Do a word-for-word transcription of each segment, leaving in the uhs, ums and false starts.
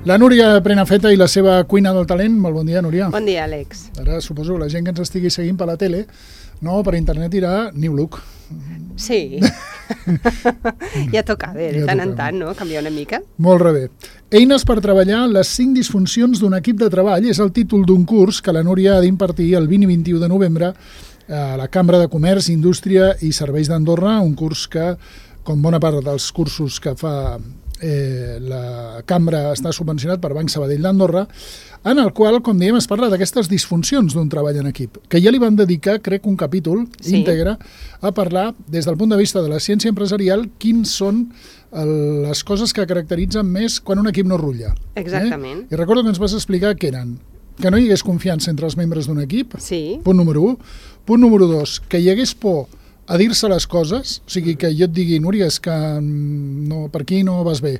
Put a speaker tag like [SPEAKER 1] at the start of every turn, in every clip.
[SPEAKER 1] La Núria Prenafeta i la seva cuina del talent. Molt bon dia, Núria.
[SPEAKER 2] Bon dia, Àlex.
[SPEAKER 1] Ara suposo que la gent que ens estigui seguint per la tele, no, per internet dirà New Look.
[SPEAKER 2] Sí. Ja toca, bé, de
[SPEAKER 1] Ja
[SPEAKER 2] tant en
[SPEAKER 1] toca.
[SPEAKER 2] tant, no? Canviar una mica.
[SPEAKER 1] Molt bé. Eines per treballar les cinc disfuncions d'un equip de treball és el títol d'un curs que la Núria ha d'impartir el vint i vint-i-u de novembre a la Cambra de Comerç, Indústria i Serveis d'Andorra, un curs que, com bona part dels cursos que fa eh, la Cambra, està subvencionat per Banc Sabadell d'Andorra, en el qual, com diem, es parla d'aquestes disfuncions d'un treball en equip, que ja li van dedicar, crec, un capítol
[SPEAKER 2] Sí.
[SPEAKER 1] íntegre a parlar, des del punt de vista de la ciència empresarial, quins són el, les coses que caracteritzen més quan un equip no rutlla.
[SPEAKER 2] Exactament.
[SPEAKER 1] Eh? I recordo que ens vas explicar què eren. Que no hi hagués confiança entre els membres d'un equip,
[SPEAKER 2] Sí.
[SPEAKER 1] punt número un. Punt número dos, que hi hagués por a dir-se les coses, o sigui, que jo et digui, Núria, és que no, per aquí no vas bé,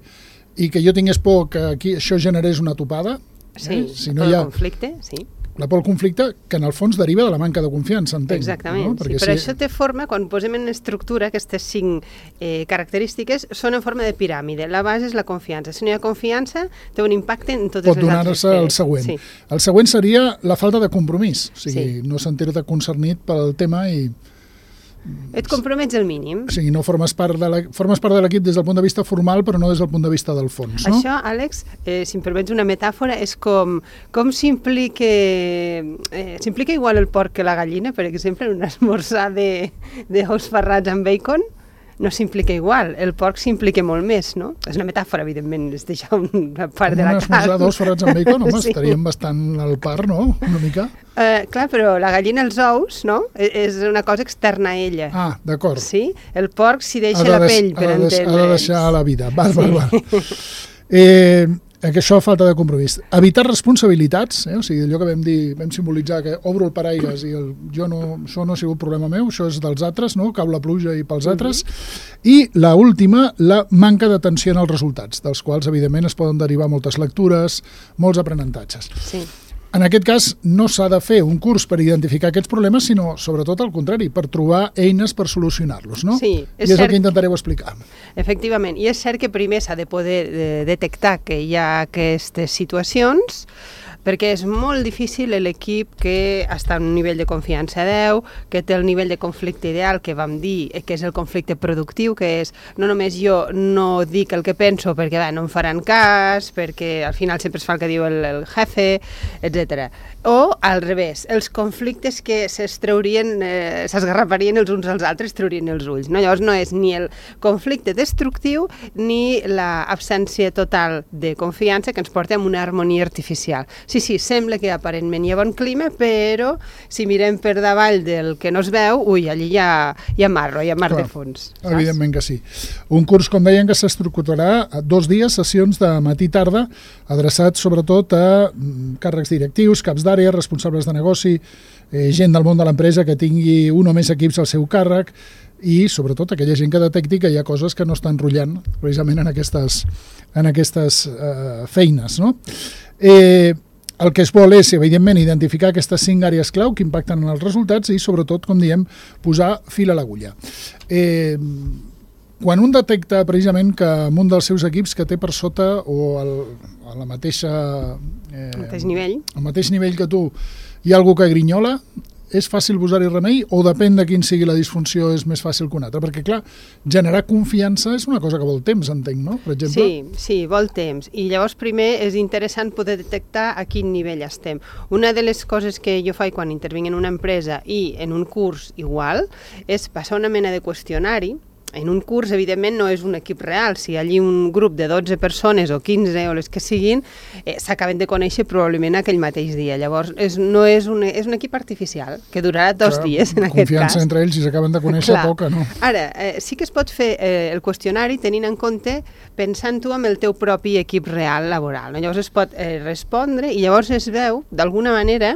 [SPEAKER 1] i que jo tingués por que aquí això generés una topada,
[SPEAKER 2] Sí,
[SPEAKER 1] eh? si no
[SPEAKER 2] el
[SPEAKER 1] hi ha
[SPEAKER 2] conflicte, sí.
[SPEAKER 1] la por al conflicte, que en el fons deriva de la manca de confiança, entenc.
[SPEAKER 2] Exactament,
[SPEAKER 1] no?
[SPEAKER 2] sí.
[SPEAKER 1] Perquè
[SPEAKER 2] Però
[SPEAKER 1] si...
[SPEAKER 2] això té forma, quan posem en estructura aquestes cinc eh, característiques, són en forma de piràmide. La base és la confiança. Si no hi ha confiança, té un impacte en totes
[SPEAKER 1] pot
[SPEAKER 2] les altres.
[SPEAKER 1] donar-se el següent.
[SPEAKER 2] Sí.
[SPEAKER 1] El següent seria la falta de compromís, o sigui,
[SPEAKER 2] Sí.
[SPEAKER 1] no sentir-te concernit pel tema i...
[SPEAKER 2] Et compromets el mínim.
[SPEAKER 1] O sigui, no formes part de la- formes part de l'equip des del punt de vista formal, però no des del punt de vista del fons, no?
[SPEAKER 2] Això, Àlex, eh, si em permets una metàfora, és com, com s'implica eh, s'implica igual el porc que la gallina, per exemple, en un esmorzar de, de ous ferrats amb bacon, no s'implica igual. El porc s'implica molt més, no? És una metàfora, evidentment, és deixar una part de la
[SPEAKER 1] Un esmorzar
[SPEAKER 2] carn.
[SPEAKER 1] d'ous ferrats amb bacon, home,
[SPEAKER 2] Sí.
[SPEAKER 1] estaríem bastant al par, no? Una mica.
[SPEAKER 2] Eh, clar, però la gallina, els ous, no? E- És una cosa externa a ella.
[SPEAKER 1] Ah, d'acord.
[SPEAKER 2] Sí? El porc s'hi deixa
[SPEAKER 1] Ha de
[SPEAKER 2] la
[SPEAKER 1] deix-
[SPEAKER 2] pell, per
[SPEAKER 1] ha de deix-
[SPEAKER 2] entendre'ns.
[SPEAKER 1] Ha de deixar la vida. Val, val, val. Eh, que això falta de compromís. Evitar responsabilitats, eh? O sigui, allò que vam dir, vam simbolitzar que obro el paraigües i el, jo no, això no ha sigut problema meu, això és dels altres, no? Cau la pluja i pels altres. I la última, la manca d'atenció en els resultats, dels quals, evidentment, es poden derivar moltes lectures, molts aprenentatges.
[SPEAKER 2] Sí.
[SPEAKER 1] En aquest cas, no s'ha de fer un curs per identificar aquests problemes, sinó, sobretot, al contrari, per trobar eines per solucionar-los, no?
[SPEAKER 2] Sí, és
[SPEAKER 1] I és el
[SPEAKER 2] cert.
[SPEAKER 1] que intentareu explicar.
[SPEAKER 2] Efectivament, i és cert que primer s'ha de poder eh, detectar que hi ha aquestes situacions, perquè és molt difícil l'equip que està en un nivell de confiança deu, que té el nivell de conflicte ideal que vam dir, eh, que és el conflicte productiu, que és no només jo no dic el que penso perquè bé, no em faran cas, perquè al final sempre es fa el que diu el, el jefe, etcètera. O al revés, els conflictes que s'estreurien, eh, s'esgarraparien els uns als altres, treurien els ulls. No? Llavors no és ni el conflicte destructiu ni l'absència total de confiança que ens porta a una harmonia artificial. Sí, sí, sembla que aparentment hi ha bon clima, però si mirem per davall del que no es veu, ui, allí hi ha, hi ha marro, hi ha mar
[SPEAKER 1] Clar,
[SPEAKER 2] de fons. Saps?
[SPEAKER 1] Evidentment que sí. Un curs, com deien, que s'estructurarà a dos dies, sessions de matí i tarda, adreçats sobretot a mm, càrrecs directius, caps d'àrea, responsables de negoci, eh, gent del món de l'empresa que tingui un o més equips al seu càrrec i, sobretot, aquella gent que detecti que hi ha coses que no estan rotllant precisament en aquestes, en aquestes eh, feines, no? Eh, el que es vol és, evidentment, identificar aquestes cinc àrees clau que impacten en els resultats i, sobretot, com diem, posar fil a l'agulla. Eh, quan un detecta precisament que en un dels seus equips que té per sota o el, a la mateixa, eh,
[SPEAKER 2] Al mateix nivell.
[SPEAKER 1] al mateix nivell que tu hi ha algú que grinyola, és fàcil posar-hi remei o depèn de quin sigui la disfunció és més fàcil que una altra? Perquè, clar, generar confiança és una cosa que vol temps, entenc, no? Per exemple.
[SPEAKER 2] Sí, sí, vol temps. I llavors primer és interessant poder detectar a quin nivell estem. Una de les coses que jo faig quan intervinc en una empresa i en un curs igual és passar una mena de qüestionari. En un curs, evidentment, no és un equip real. Si allí un grup de dotze persones o quinze o les que siguin eh, s'acaben de conèixer probablement aquell mateix dia. Llavors, és, no és un, és un equip artificial que durarà dos
[SPEAKER 1] Clar,
[SPEAKER 2] dies, en aquest cas.
[SPEAKER 1] Confiança entre ells, si s'acaben de conèixer,
[SPEAKER 2] Clar.
[SPEAKER 1] poca, no?
[SPEAKER 2] Ara, eh, sí que es pot fer eh, el qüestionari tenint en compte, pensant tu amb el teu propi equip real laboral. No? Llavors es pot eh, respondre i llavors es veu, d'alguna manera,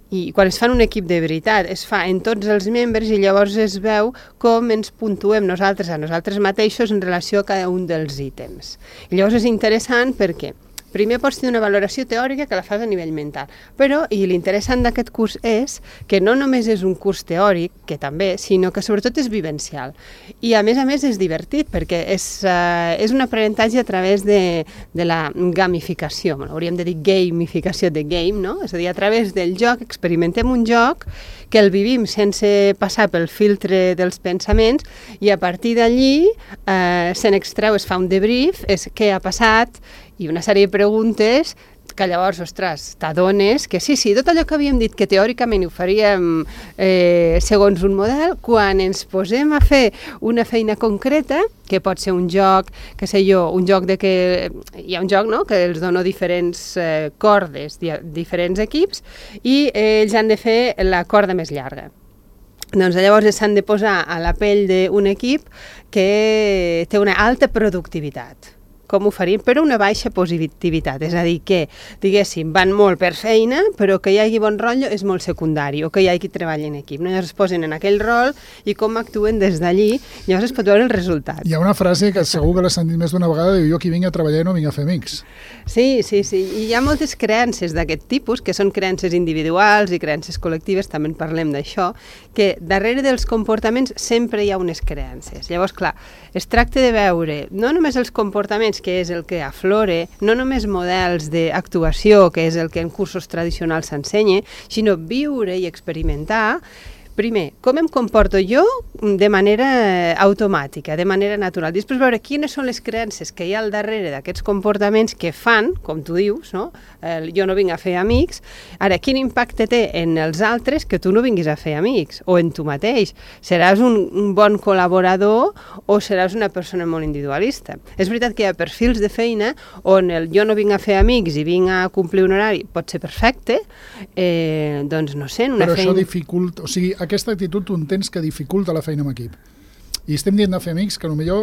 [SPEAKER 2] i quan es fa en un equip de veritat, es fa en tots els membres i llavors es veu com ens puntuem nosaltres a nosaltres mateixos en relació a cada un dels ítems. I llavors és interessant perquè primer pots tenir una valoració teòrica que la fas a nivell mental. Però, i l'interessant d'aquest curs és que no només és un curs teòric, que també, sinó que sobretot és vivencial. I a més a més és divertit, perquè és, uh, és un aprenentatge a través de, de la gamificació, bueno, hauríem de dir gamificació de game, no? És a dir, a través del joc experimentem un joc que el vivim sense passar pel filtre dels pensaments i a partir d'allí eh, se n'extreu, es fa un debrief, és què ha passat i una sèrie de preguntes que llavors, ostres, t'adones que sí, sí, tot allò que havíem dit que teòricament ho faríem eh, segons un model, quan ens posem a fer una feina concreta, que pot ser un joc, que sé jo, un joc de que... Hi ha un joc, no?, que els dono diferents eh, cordes, di diferents equips, i eh, ells han de fer la corda més llarga. Doncs llavors s'han de posar a la pell d'un equip que té una alta productivitat. Com ho faríem? Però una baixa positivitat, és a dir, que, diguéssim, van molt per feina, però que hi hagi bon rotllo és molt secundari, o que hi hagi qui treballa en equip. No? Llavors es posen en aquell rol i com actuen des d'allí, llavors es pot veure el resultat.
[SPEAKER 1] Hi ha una frase que segur que l'he sentit més d'una vegada, diu, jo aquí vinc a treballar i no vinc a fer amics.
[SPEAKER 2] Sí, sí, sí. I hi ha moltes creences d'aquest tipus, que són creences individuals i creences col·lectives, també en parlem d'això, que darrere dels comportaments sempre hi ha unes creences. Llavors, clar, es tracta de veure no només els comportaments, que és el que aflore, no només models d'actuació, que és el que en cursos tradicionals s'ensenya, sinó viure i experimentar. Primer, com em comporto jo de manera automàtica, de manera natural. Després veure quines són les creences que hi ha al darrere d'aquests comportaments que fan, com tu dius, no? Eh, jo no vinc a fer amics. Ara, quin impacte té en els altres que tu no vinguis a fer amics? O en tu mateix? Seràs un, un bon col·laborador o seràs una persona molt individualista? És veritat que hi ha perfils de feina on el jo no vinc a fer amics i vinc a complir un horari pot ser perfecte, eh, doncs no sé, en una
[SPEAKER 1] Però
[SPEAKER 2] feina...
[SPEAKER 1] això dificulta... O sigui, aquesta actitud tu entens que dificulta la feina en equip. I estem dient de fer amics, que potser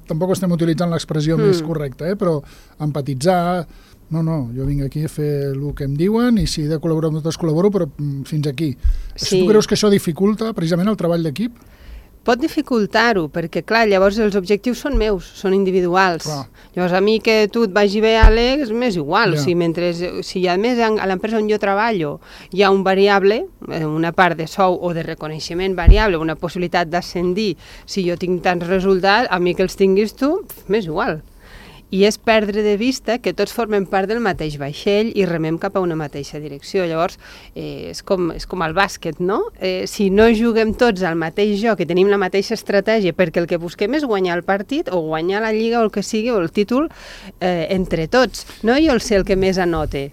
[SPEAKER 1] tampoc estem utilitzant l'expressió mm. més correcta, eh? Però empatitzar... No, no, jo vinc aquí a fer el que em diuen i si he de col·laborar amb nosaltres col·laboro, però fins aquí. Sí. Tu creus que això dificulta precisament el treball d'equip?
[SPEAKER 2] Pot dificultar-ho, perquè, clar, llavors els objectius són meus, són individuals. Clar. Llavors, a mi que tu et vagi bé, Àlex, m'és igual. Ja. O sigui, mentre, si a més a l'empresa on jo treballo hi ha un variable, una part de sou o de reconeixement variable, una possibilitat d'ascendir, si jo tinc tants resultats, a mi que els tinguis tu, m'és igual. I és perdre de vista que tots formem part del mateix vaixell i remem cap a una mateixa direcció. Llavors, eh, és, com, és com el bàsquet, no? Eh, si no juguem tots al mateix joc i tenim la mateixa estratègia, perquè el que busquem és guanyar el partit o guanyar la lliga o el que sigui, o el títol, eh, entre tots, no jo el ser el que més anote.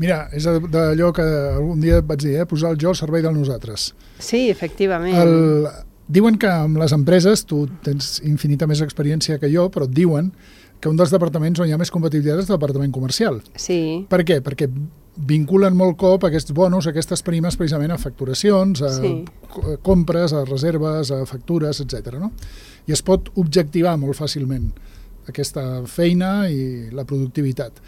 [SPEAKER 1] Mira, és d'allò que algun dia et vaig dir, eh? Posar el jo al servei de nosaltres.
[SPEAKER 2] Sí, efectivament.
[SPEAKER 1] El... Diuen que amb les empreses, tu tens infinita més experiència que jo, però et diuen que un dels departaments on hi ha més competitivitat és el departament comercial.
[SPEAKER 2] Sí.
[SPEAKER 1] Per què? Perquè vinculen molt cop aquests bonus, aquestes primes precisament a facturacions, a sí. compres, a reserves, a factures, etcètera. No? I es pot objectivar molt fàcilment aquesta feina i la productivitat.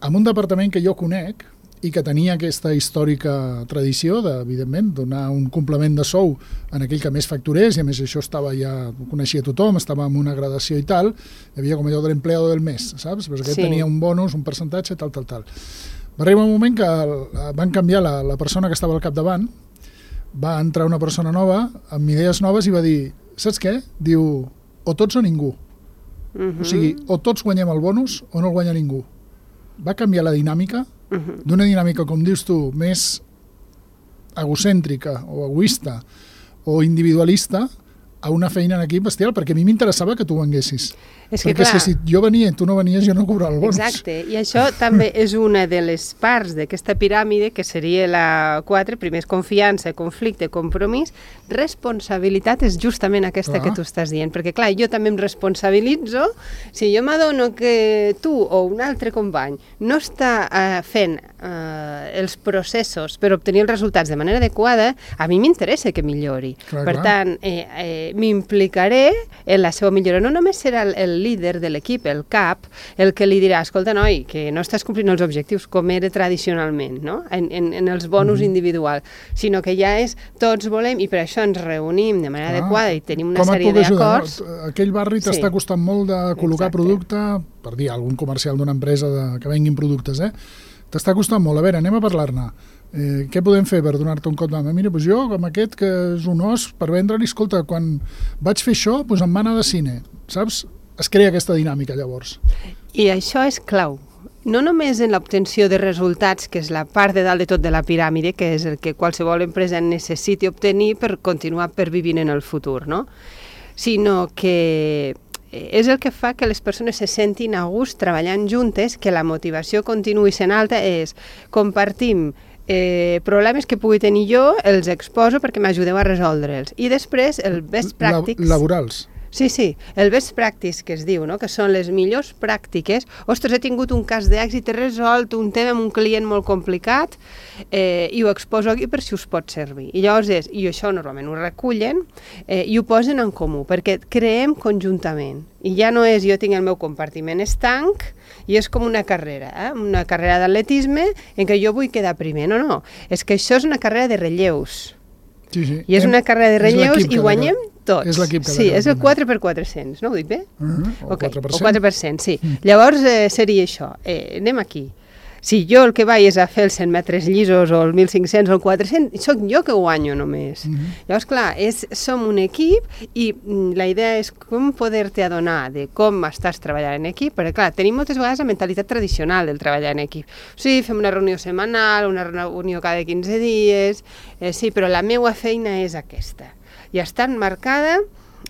[SPEAKER 1] En un departament que jo conec i que tenia aquesta històrica tradició de, evidentment, donar un complement de sou en aquell que més facturés, i a més això estava ja, ho coneixia tothom, estava en una gradació i tal, hi havia com allò de l'empleado del mes, saps? Però aquest sí. tenia un bonus, un percentatge, tal, tal, tal. Va arribar un moment que van canviar la, la persona que estava al capdavant, va entrar una persona nova, amb idees noves, i va dir, saps què? Diu, o tots o ningú. Uh-huh. O sigui, o tots guanyem el bonus o no el guanya ningú. Va canviar la dinàmica, uh-huh. d'una dinàmica, com dius tu, més egocèntrica o egoista o individualista a una feina en equip bestial, perquè a mi m'interessava que tu venguessis. És que, perquè clar, si jo venia i tu no venies, jo no cobrava el bonus.
[SPEAKER 2] Exacte, i això també és una de les parts d'aquesta piràmide, que seria la quatre, primer és confiança, conflicte, compromís, responsabilitat és justament aquesta clar. Que tu estàs dient, perquè clar, jo també em responsabilitzo, si jo m'adono que tu o un altre company no està eh, fent eh, els processos per obtenir els resultats de manera adequada, a mi m'interessa que millori. Clar, per clar. tant, eh, eh, m'implicaré en la seva millora. No només serà el, el líder de l'equip, el cap, el que li dirà, escolta, noi, que no estàs complint els objectius com era tradicionalment, no? en, en, en els bonus mm-hmm. individuals, sinó que ja és tots volem i per això ens reunim de manera ah, adequada i tenim una sèrie d'acords.
[SPEAKER 1] No? Aquell barri t'està sí. costant molt de col·locar Exacte. producte, per dir algun comercial d'una empresa de, que venguin productes, eh? T'està costant molt. A veure, anem a parlar-ne. Eh, què podem fer per donar-te un cop de mà? Mira, doncs jo, com aquest, que és un os, per vendre-li, escolta, quan vaig fer això, doncs em va anar de cine, saps? Es crea aquesta dinàmica, llavors.
[SPEAKER 2] I això és clau. No només en l'obtenció de resultats, que és la part de dalt de tot de la piràmide, que és el que qualsevol empresa necessiti obtenir per continuar pervivint en el futur, no? Sinó que és el que fa que les persones se sentin a gust treballant juntes, que la motivació continuï sent alta, és compartim eh, problemes que pugui tenir jo, els exposo perquè m'ajudeu a resoldre'ls. I després el best practices...
[SPEAKER 1] Laborals.
[SPEAKER 2] Sí, sí, el best practice que es diu, no? Que són les millors pràctiques. Ostres, he tingut un cas d'èxit, he resolt un tema amb un client molt complicat eh, i ho exposo aquí per si us pot servir. I llavors és, i això normalment ho recullen eh, i ho posen en comú, perquè creem conjuntament. I ja no és jo tinc el meu compartiment estanc i és com una carrera, eh? una carrera d'atletisme en què jo vull quedar primer. No, no, és que això és una carrera de relleus.
[SPEAKER 1] Sí, sí.
[SPEAKER 2] I és una carrera de relleus i guanyem tots.
[SPEAKER 1] És l'equip que
[SPEAKER 2] sí, és el quatre per quatre-cents, no ho dic bé?
[SPEAKER 1] Uh-huh. O
[SPEAKER 2] okay.
[SPEAKER 1] quatre per cent.
[SPEAKER 2] O quatre per cent, sí. Mm. Llavors eh, seria això. Eh, anem aquí. Si jo el que vaig és a fer els cent metres llisos o el mil cinc-cents o el quatre-cents, soc jo que guanyo només. Mm-hmm. Llavors, clar, és, som un equip i mm, la idea és com poder-te adonar de com estàs treballant en equip, perquè, clar, tenim moltes vegades la mentalitat tradicional del treballar en equip. Sí, fem una reunió setmanal, una reunió cada quinze dies, eh, sí, però la meva feina és aquesta. I està enmarcada,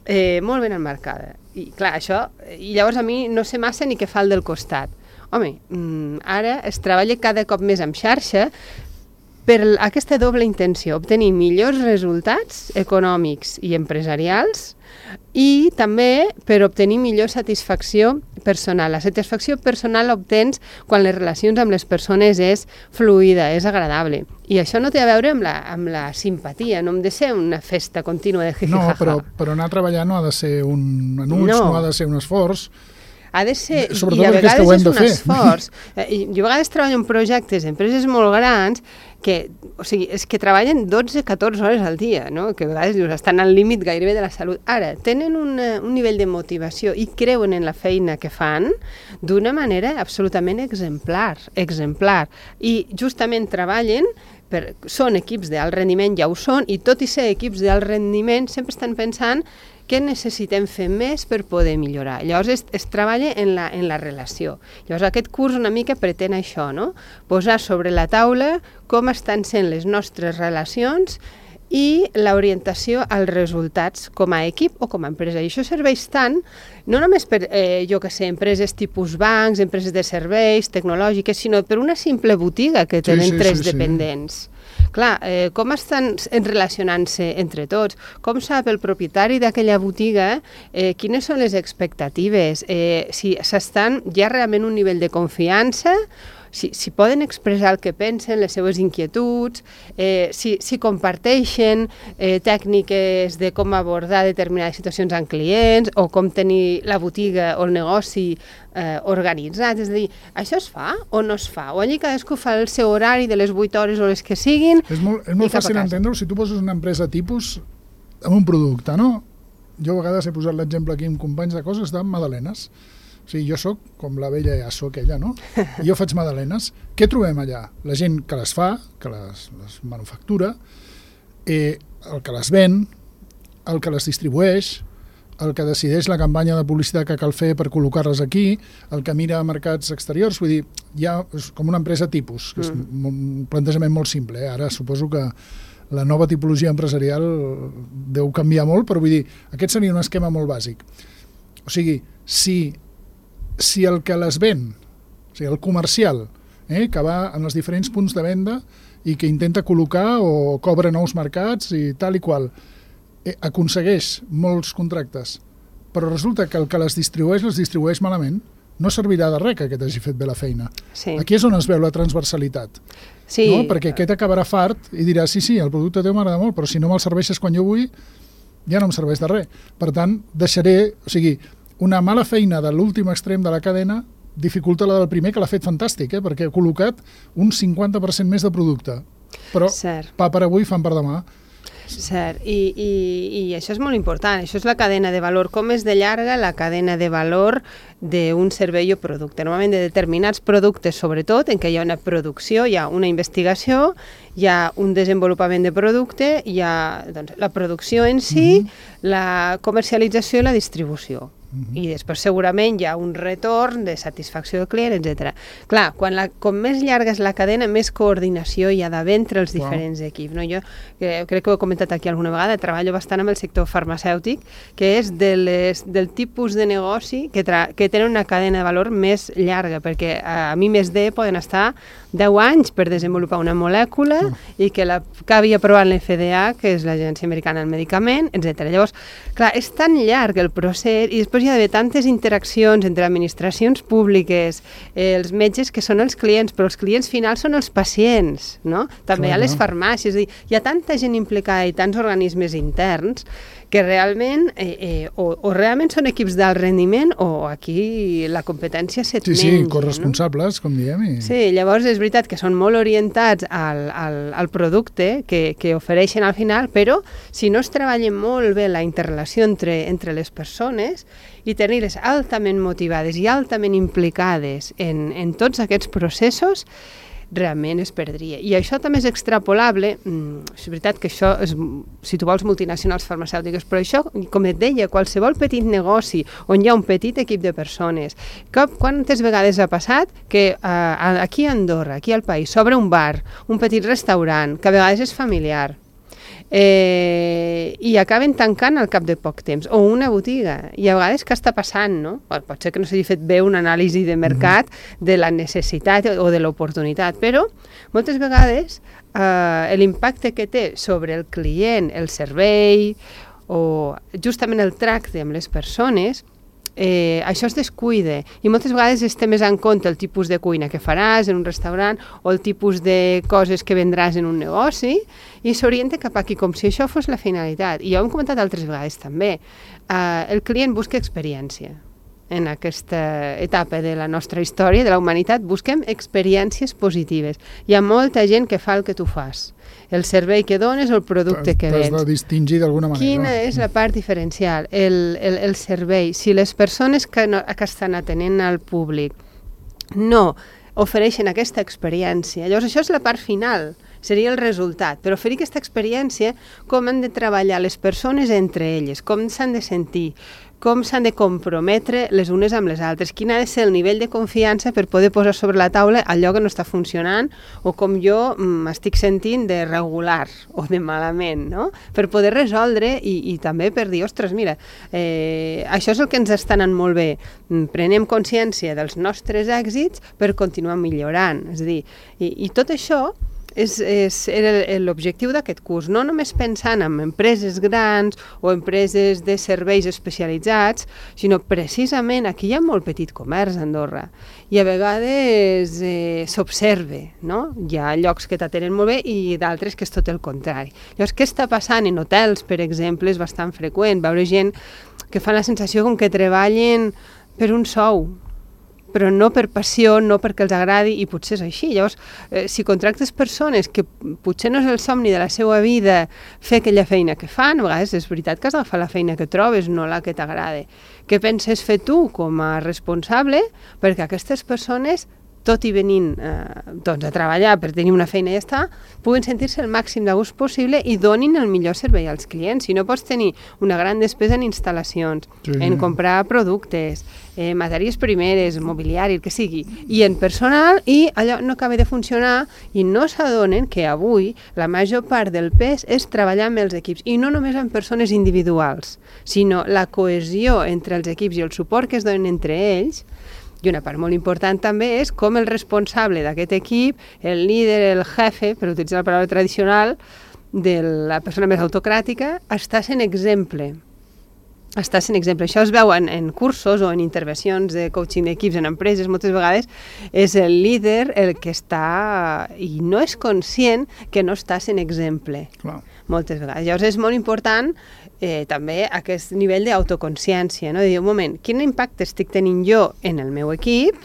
[SPEAKER 2] eh, molt ben enmarcada. I, clar, això, i llavors a mi no sé massa ni què fa el del costat. Home, ara es treballa cada cop més en xarxa per aquesta doble intenció, obtenir millors resultats econòmics i empresarials i també per obtenir millor satisfacció personal. La satisfacció personal l'obtens quan les relacions amb les persones és fluida, és agradable. I això no té a veure amb la, amb la simpatia, no hem de ser una festa contínua de jijijaja.
[SPEAKER 1] No, però, però anar a treballar no ha de ser un enuig, no, no ha de ser un esforç.
[SPEAKER 2] Ha de ser,
[SPEAKER 1] sobretot
[SPEAKER 2] i a vegades és un
[SPEAKER 1] fer.
[SPEAKER 2] esforç. Jo a vegades treballo en projectes d'empreses molt grans que, o sigui, és que treballen dotze a catorze hores al dia, no? Que a vegades dius, estan al límit gairebé de la salut. Ara, tenen una, un nivell de motivació i creuen en la feina que fan d'una manera absolutament exemplar, exemplar. I justament treballen per, són equips d'alt rendiment, ja ho són, i tot i ser equips d'alt rendiment sempre estan pensant què necessitem fer més per poder millorar. Llavors es, es treballa en la, en la relació. Llavors aquest curs una mica pretén això, no? Posar sobre la taula com estan sent les nostres relacions i l'orientació als resultats com a equip o com a empresa. I això serveix tant, no només per, eh, jo que sé, empreses tipus bancs, empreses de serveis, tecnològiques, sinó per una simple botiga que tenen sí, sí, tres sí, dependents. Sí. Clar, eh, com estan relacionant-se entre tots? Com sap el propietari d'aquella botiga eh, quines són les expectatives? Eh, si s'estan ja realment un nivell de confiança, si, si poden expressar el que pensen, les seves inquietuds, eh, si, si comparteixen eh, tècniques de com abordar determinades situacions amb clients o com tenir la botiga o el negoci eh, organitzat. És a dir, això es fa o no es fa? O allí cadascú fa el seu horari de les vuit hores o les que siguin.
[SPEAKER 1] És molt, és molt fàcil entendre-ho si tu poses una empresa tipus amb un producte, no? Jo a vegades he posat l'exemple aquí amb companys de coses de magdalenes. O sigui, jo sóc com la vella ja sóc ella, no? Jo faig magdalenes. Què trobem allà? La gent que les fa, que les, les manufactura, eh, el que les ven, el que les distribueix, el que decideix la campanya de publicitat que cal fer per col·locar-les aquí, el que mira mercats exteriors, vull dir, ja és com una empresa tipus, que és mm. un plantejament molt simple. Eh? Ara suposo que la nova tipologia empresarial deu canviar molt, però vull dir, aquest seria un esquema molt bàsic. O sigui, si si el que les ven, o sigui, el comercial, eh, que va en els diferents punts de venda i que intenta col·locar o cobra nous mercats i tal i qual, eh, aconsegueix molts contractes, però resulta que el que les distribueix, les distribueix malament, no servirà de res que aquest hagi fet bé la feina.
[SPEAKER 2] Sí.
[SPEAKER 1] Aquí és on es veu la transversalitat.
[SPEAKER 2] Sí.
[SPEAKER 1] No? Perquè aquest acabarà fart i dirà, sí, sí, el producte teu m'agrada molt, però si no me'l serveixes quan jo vull, ja no em serveix de res. Per tant, deixaré... O sigui, una mala feina de l'últim extrem de la cadena dificulta la del primer, que l'ha fet fantàstic, eh? Perquè ha col·locat un cinquanta per cent més de producte. Però
[SPEAKER 2] Cert.
[SPEAKER 1] pa per avui, fan per demà.
[SPEAKER 2] Cert, I, i, i això és molt important, això és la cadena de valor, com és de llarga la cadena de valor d'un servei o producte. Normalment de determinats productes, sobretot, en què hi ha una producció, hi ha una investigació, hi ha un desenvolupament de producte, hi ha doncs, la producció en si, mm-hmm. la comercialització i la distribució. Mm-hmm. I després segurament hi ha un retorn de satisfacció del client, etcètera. Clar, quan la, com més llarga és la cadena, més coordinació hi ha d'haver entre els diferents wow. equips. No? Jo eh, crec que ho he comentat aquí alguna vegada, treballo bastant amb el sector farmacèutic, que és de les, del tipus de negoci que, tra que tenen una cadena de valor més llarga, perquè a, a mi més D poden estar deu anys per desenvolupar una molècula oh. i que l'acabi aprovant l'F D A, que és l'Agència Americana del Medicament, etcètera. Llavors, clar, és tan llarg el procés i després hi ha d'haver tantes interaccions entre administracions públiques, eh, els metges que són els clients, però els clients finals són els pacients, no? També hi ha les farmàcies, és a dir, hi ha tanta gent implicada i tants organismes interns que realment eh, eh, o, o realment són equips d'alt rendiment o aquí la competència se't
[SPEAKER 1] sí,
[SPEAKER 2] menja.
[SPEAKER 1] Sí, corresponsables, no? Com diem. I...
[SPEAKER 2] Sí, llavors és veritat que són molt orientats al, al, al producte que, que ofereixen al final, però si no es treballa molt bé la interrelació entre, entre les persones i tenir-les altament motivades i altament implicades en, en tots aquests processos, realment es perdria. I això també és extrapolable, és veritat que això és, si tu vols, multinacionals farmacèutiques, però això, com et deia, qualsevol petit negoci on hi ha un petit equip de persones, que, quantes vegades ha passat que uh, aquí a Andorra, aquí al país, s'obre un bar, un petit restaurant, que a vegades és familiar, Eh, i acaben tancant al cap de poc temps, o una botiga, i a vegades què està passant, no? Pot ser que no s'hagi fet bé una anàlisi de mercat de la necessitat o de l'oportunitat, però moltes vegades eh, l'impacte que té sobre el client, el servei o justament el tracte amb les persones, Eh, això es descuida i moltes vegades es té més en compte el tipus de cuina que faràs en un restaurant o el tipus de coses que vendràs en un negoci i s'orienta cap aquí com si això fos la finalitat. I ja ho hem comentat altres vegades també. Eh, el client busca experiència. En aquesta etapa de la nostra història, de la humanitat, busquem experiències positives. Hi ha molta gent que fa el que tu fas. El servei que dones o el producte que vens.
[SPEAKER 1] T'has de distingir d'alguna manera.
[SPEAKER 2] Quina és la part diferencial? El, el, el servei. Si les persones que, no, que estan atenent al públic no ofereixen aquesta experiència, llavors això és la part final, seria el resultat, però oferir aquesta experiència, com han de treballar les persones entre elles, com s'han de sentir, com s'han de comprometre les unes amb les altres, quin ha de ser el nivell de confiança per poder posar sobre la taula allò que no està funcionant o com jo m'estic sentint de regular o de malament, no? Per poder resoldre i, i també per dir, ostres, mira, eh, això és el que ens està anant molt bé, prenem consciència dels nostres èxits per continuar millorant, és a dir, i, i tot això És, és, era l'objectiu d'aquest curs, no només pensant en empreses grans o empreses de serveis especialitzats, sinó precisament aquí hi ha molt petit comerç a Andorra i a vegades eh, s'observa, no? Hi ha llocs que t'atenen molt bé i d'altres que és tot el contrari. Llavors, què està passant en hotels, per exemple, és bastant freqüent, veure gent que fa la sensació com que treballen per un sou, però no per passió, no perquè els agradi, i potser és així. Llavors, eh, si contractes persones que potser no és el somni de la seva vida fer aquella feina que fan, a vegades és veritat que has d'agafar la feina que trobes, no la que t'agrada. Què penses fer tu com a responsable perquè aquestes persones, tot i venint eh, doncs a treballar per tenir una feina i ja està, puguin sentir-se el màxim de gust possible i donin el millor servei als clients. Si no pots tenir una gran despesa en instal·lacions, sí, en comprar productes, eh, matèries primeres, mobiliari, el que sigui, i en personal, i allò no acaba de funcionar i no s'adonen que avui la major part del pes és treballar amb els equips, i no només amb persones individuals, sinó la cohesió entre els equips i el suport que es donen entre ells. I una part molt important també és com el responsable d'aquest equip, el líder, el jefe, per utilitzar la paraula tradicional, de la persona més autocràtica, està sent exemple. Està sent exemple. Això es veu en, en cursos o en intervencions de coaching d'equips en empreses, moltes vegades és el líder el que està i no és conscient que no està sent exemple.
[SPEAKER 1] Clar.
[SPEAKER 2] Moltes vegades. Llavors és molt important eh, també aquest nivell d'autoconsciència, no? De dir, un moment, quin impacte estic tenint jo en el meu equip,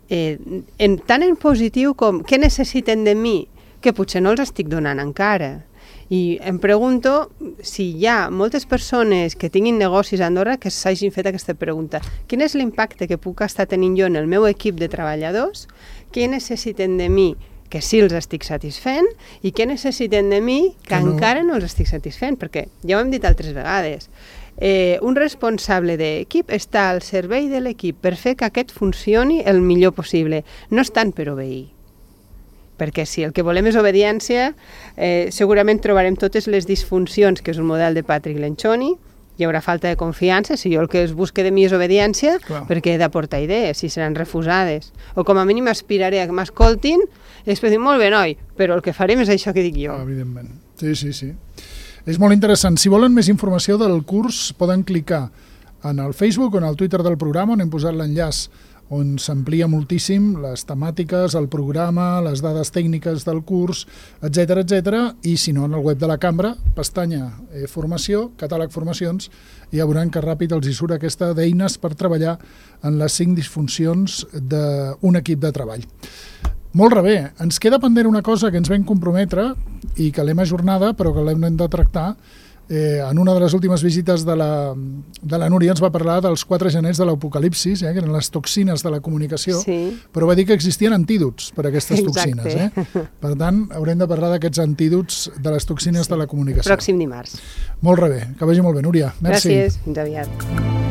[SPEAKER 2] eh, en, tant en positiu com què necessiten de mi, que potser no els estic donant encara. I em pregunto si hi ha moltes persones que tinguin negocis a Andorra que s'hagin fet aquesta pregunta. Quin és l'impacte que puc estar tenint jo en el meu equip de treballadors? Què necessiten de mi que sí els estic satisfent i què necessiten de mi que, que no. encara no els estic satisfent? Perquè ja ho hem dit altres vegades. Eh, un responsable d'equip està al servei de l'equip per fer que aquest funcioni el millor possible. No és tant per obeir. Perquè si el que volem és obediència, eh, segurament trobarem totes les disfuncions, que és un model de Patrick Lencioni, hi haurà falta de confiança, si jo el que es busque de mi és obediència, clar, perquè he d'aportar idees, si seran refusades. O com a mínim aspiraré a que m'escoltin i després dir, molt bé, noi, però el que farem és això que dic jo.
[SPEAKER 1] Ah, evidentment, sí, sí, sí. És molt interessant. Si volen més informació del curs, poden clicar en el Facebook o en el Twitter del programa, on hem posat l'enllaç on s'amplia moltíssim les temàtiques, el programa, les dades tècniques del curs, etcètera, etcètera, i si no, en el web de la cambra, pestanya eh, formació, catàleg formacions, i ja veuran que ràpid els hi surt aquesta d'eines per treballar en les cinc disfuncions d'un equip de treball. Molt bé, ens queda pendent una cosa que ens vam comprometre i que l'hem ajornada, però que l'hem de tractar. Eh, en una de les últimes visites de la, de la Núria ens va parlar dels quatre genets de l'apocalipsis, eh, que eren les toxines de la comunicació, sí, però va dir que existien antídots per a aquestes Exacte. toxines. Eh? Per tant, haurem de parlar d'aquests antídots de les toxines sí. de la comunicació.
[SPEAKER 2] Pròxim dimarts.
[SPEAKER 1] Molt bé, que vagi molt bé, Núria. Merci.
[SPEAKER 2] Gràcies, fins aviat.